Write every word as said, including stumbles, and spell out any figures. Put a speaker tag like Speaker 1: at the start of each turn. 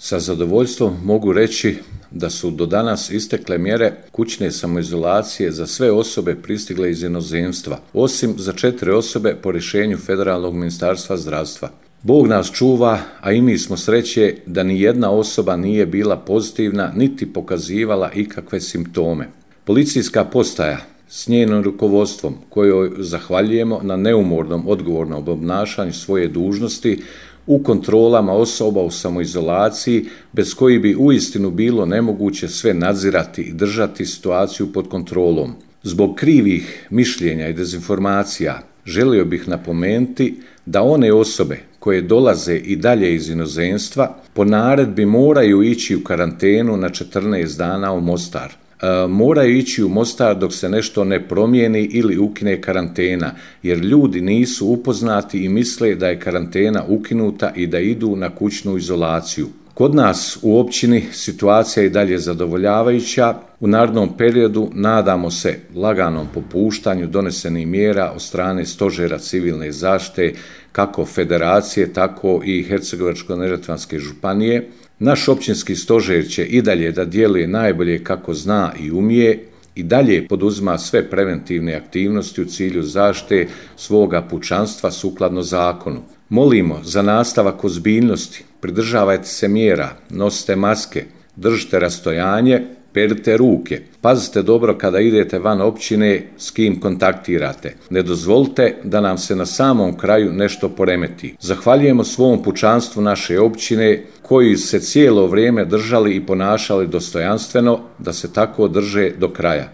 Speaker 1: Sa zadovoljstvom mogu reći da su do danas istekle mjere kućne samoizolacije za sve osobe pristigle iz inozemstva, osim za četiri osobe po rješenju Federalnog ministarstva zdravstva. Bog nas čuva, a i mi smo sreće da ni jedna osoba nije bila pozitivna niti pokazivala ikakve simptome. Policijska postaja s njenim rukovodstvom, kojoj zahvaljujemo na neumornom odgovornom obnašanju svoje dužnosti u kontrolama osoba u samoizolaciji, bez kojih bi uistinu bilo nemoguće sve nadzirati i držati situaciju pod kontrolom. Zbog krivih mišljenja i dezinformacija želio bih napomenuti da one osobe koje dolaze i dalje iz inozemstva po naredbi moraju ići u karantenu na četrnaest dana u Mostar. E, moraju ići u Mostar dok se nešto ne promijeni ili ukine karantena, jer ljudi nisu upoznati i misle da je karantena ukinuta i da idu na kućnu izolaciju. Kod nas u općini situacija je i dalje zadovoljavajuća. U narednom periodu nadamo se laganom popuštanju donesenih mjera od strane Stožera civilne zaštite kako federacije, tako i Hercegovačko-neretvanske županije. Naš općinski stožer će i dalje da djeluje najbolje kako zna i umije, i dalje poduzima sve preventivne aktivnosti u cilju zaštite svoga pučanstva sukladno zakonu. Molimo za nastavak ozbiljnosti, pridržavajte se mjera, nosite maske, držite rastojanje, perite ruke, pazite dobro kada idete van općine s kim kontaktirate. Ne dozvolite da nam se na samom kraju nešto poremeti. Zahvaljujemo svom pučanstvu naše općine koji se cijelo vrijeme držali i ponašali dostojanstveno, da se tako drže do kraja.